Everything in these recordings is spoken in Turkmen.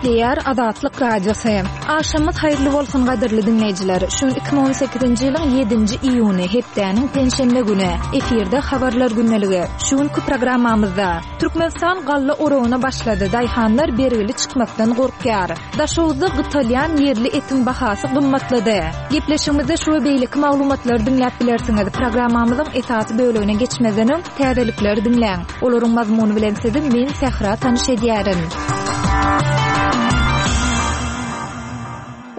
Gepleýär Azatlyk Radiosy. Agşamyňyz haýyrly bolsun gadyrly diňleýjiler. Şu gün 2018-nji ýylyň 7-nji iýuny, hepdäniň penşenbe güni. Efirde Habarlar gündeligi. Şu günki programmamyzda Türkmenistan galla oragyna başlady, daýhanlar bergili çykmakdan gorkýar. Daşoguzda gytalýan ýerli etiň bahasy gymmatlady. Gepleşigimizde şu we beýleki maglumatlary diňläp bilersiňiz. Programmamyzyň esasy bölegine geçmezden öň, täzelikleri diňläň. Olaryň mazmuny bilen sizi men Sähra tanyş edýärin.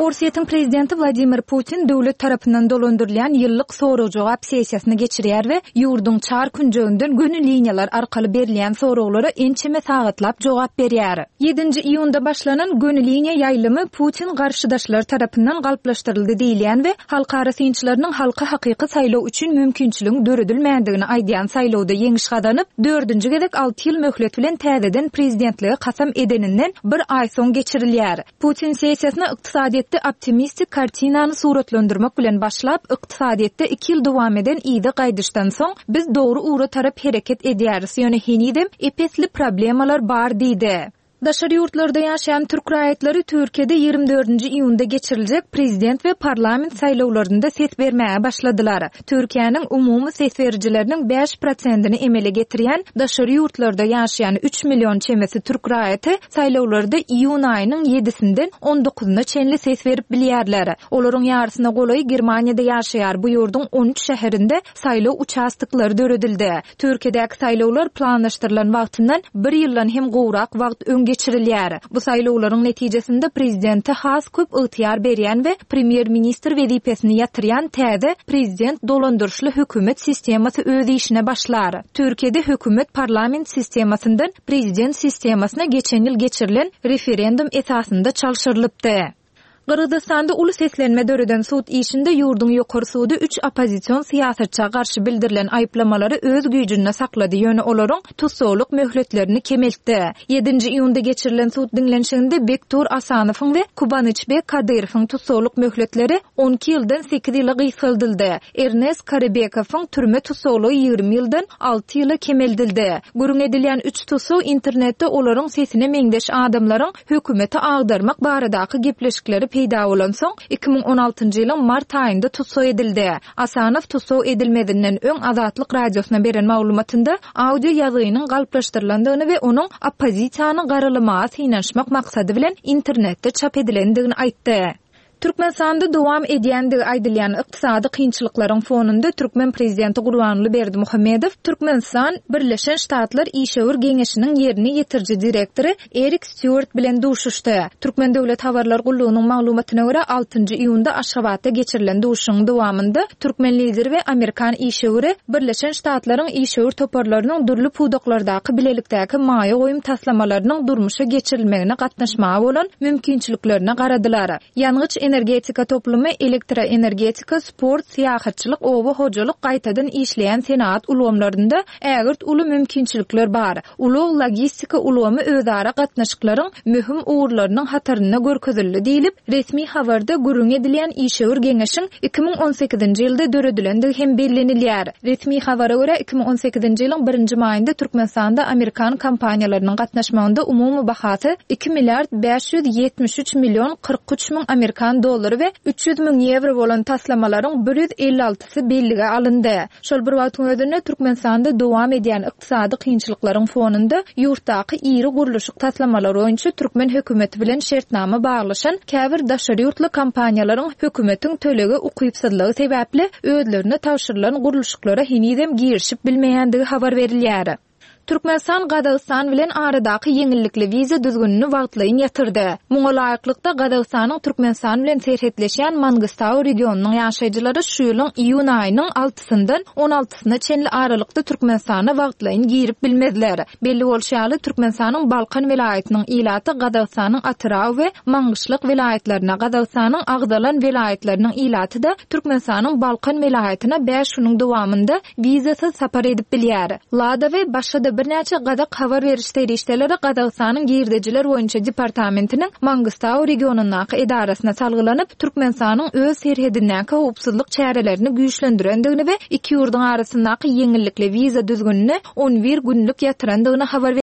Orsýetiň prezidenti Wladimir Putin döwlet tarapyndan dolandyrylýan ýyllyk sorag-jogap sessiýasyny geçirýär we ýurduň çar künjeginden göni liniýalar arkaly berilýän soraglara ençeme sagatlap jogap berýär. Ýedinji iýunda başlanan göni liniýa ýaýlymy Putin garşydaşlary tarapyndan galplaşdyryldy diýilýän we halkara synçylarynyň halka hakyky saýlaw üçin mümkinçiligiň döredilmändigini aýdýan saýlawda ýeňiş gazanyp, dördünji gezek alty ýyl möhlet bilen täzeden prezidentlige kasam edeninden bir aý soň geçirilýär. Putin sessiýasyna ykdysadyýetde optimistik kartinany suratlandyrmak bilen başlap, ykdysadyýetde iki ýyl dowam eden yza gaýdyşdan soň, biz dogry ugra tarap hereket edýäris, ýöne henizem ep-esli problemalar bar diýdi. Daşary ýurtlarda ýaşaýan türk raýatlary Türkiýede 24-nji iýunda geçiriljek prezident we parlament saýlawlarynda ses bermäge başladylar. Türkiýäniň umumy ses berijileriniň bäş prosentini emele getirýän daşary ýurtlarda ýaşaýan üç million çemesi türk raýaty saýlawlarda iýun aýynyň ýedisinden on dokuzyna çenli ses berip bilýärler. Olaryň ýarysyna golaýy Germaniýada ýaşaýar, bu ýurduň on üç şäherinde saýlaw uçastoklary döredildi. Türkiýedäki saýlawlar planlaşdyrylan wagtyndan bir ýyldan hem gowrak wagt öň geçirilýär. Bu saýlawlaryň netijesinde prezidente has köp ygtyýar berýän we premýer-ministr wezipesini ýatyrýan täze prezident dolandyryşly hökümet sistemasy öz işine başlar. Türkiýede hökümet parlament sistemasyndan prezident sistemasyna geçen ýyl geçirilen referendum esasynda çalşyrylypdy. Gyrgyzystanda uly seslenme döreden sud işinde ýurduň Ýokary sudy üç oppozision syýasatça garşy bildirilen aýyplamalary öz güýjünde saklady, ýöne olaryň tussaglyk möhletlerini kemeltdi. Ýedinji iýunda geçirilen sud diňlenişiginde Bektur Asanowyň we Kubanyçbek Kadyrowyň tussaglyk möhletleri 12 ýyldan sekiz ýyla gysgaldyldy. Ernes Karybekowyň türme tussaglygy 20 ýyldan alty ýyla kemeldildi. Gürrüň edilýän üç tussag internetde olaryň sesine meňzeş adamlaryň hökümeti agdarmak baradaky gepleşikleri peýda bolansoň, 2016-njy ýylyň mart aýynda tussag edildi. Asanow tussag edilmezinden öň Azatlyk Radiosyna beren maglumatynda audio ýazgynyň galplaşdyrylandygyny we onuň oppozisiýany garalamaga synanyşmak maksady bilen internetde çap edilendigini aýtdy. Türkmenistanda dowam edýändigi aýdylýan ykdysady kynçylyklaryň fonunda türkmen prezidenti Gurbanguly Berdimuhamedow Türkmenistan, Birleşen Ştatlar işewür geňeşiniň ýerine ýetiriji direktory Erik Stýuart bilen duşuşdy. Türkmen döwlet habarlar gullugynyň maglumatyna görä, altynjy iýunda Aşgabatda geçirilen duşuşygyň dowamynda türkmen lideri we amerikan işewüri Birleşen Ştatlaryň işewür toparlarynyň dürli pudaklardaky bilelikdäki maýa goýum taslamalarynyň durmuşa geçirilmegine gatnaşmaga bolan mümkinçiliklerine garadylar. Ýangyç-energetika toplumy, elektroenergetika, sport, syýahatçylyk, oba hojalyk, gaýtadan işleýän senagat ulgamlarynda ägirt uly mümkinçilikler bar. Ulag-logistika ulgamy özara gatnaşyklaryň möhüm ugurlarynyň hatarynda görkezildi diýlip, resmi habarda gürrüňi edilýän işewür geňeşiň 2018-nji ýylda döredilendigi hem bellenilýär. Resmi habara görä, 2018-nji ýylyň birinji maýynda Türkmenistanda amerikan kompaniýalarynyň gatnaşmagynda umumy bahasy iki milliard 573 million 43 müň amerikan dollary we 300 müň ýewro bolan taslamalaryň bir ýüz elli altysy bellige alyndy. Şol bir wagtyň özünde, Türkmenistanda dowam edýän ykdysady kynçylyklaryň fonunda ýurtdaky iri gurluşyk taslamalary boýunça türkmen hökümeti bilen şertnama baglaşan käbir daşary ýurtly kompaniýalaryň hökümetiň tölege ukypsyzlygy sebäpli özlerine tabşyrylan gurluşyklara henizem girişip bilmeýändigi habar berilýär. Türkmenistan Gazagystan bilen aradaky ýeňillikli wiza düzgünini wagtlaýyn ýatyrdy. Muňa laýyklykda, Gazagystanyň Türkmenistan bilen serhetleşýän Mangystau regionynyň ýaşaýjylary şu ýylyň iýun aýynyň altysyndan on altysyna çenli aralykda Türkmenistana wagtlaýyn girip bilmezler. Belli bolşy ýaly, Türkmenistanyň Balkan welaýatynyň ilaty Gazagystanyň Atyrau we Maňgyşlak welaýatlaryna, Gazagystanyň agzalan welaýatlarynyň ilaty-da Türkmenistanyň Balkan welaýatyna bäş günüň dowamynda wizasyz sapar edip bilýär. Lada we başga-da birnäçe gazak habar beriş serişdeleri Gazagystanyň Girdejiler boýunça departamentiniň Mangystau regionyndaky edarasyna salgylanyp, Türkmenistanyň öz serhedindäki howpsuzlyk çärelerini güýçlendirendigini we iki ýurduň arasyndaky ýeňillikli wiza düzgünini on bir günlük ýatyrandygyny habar.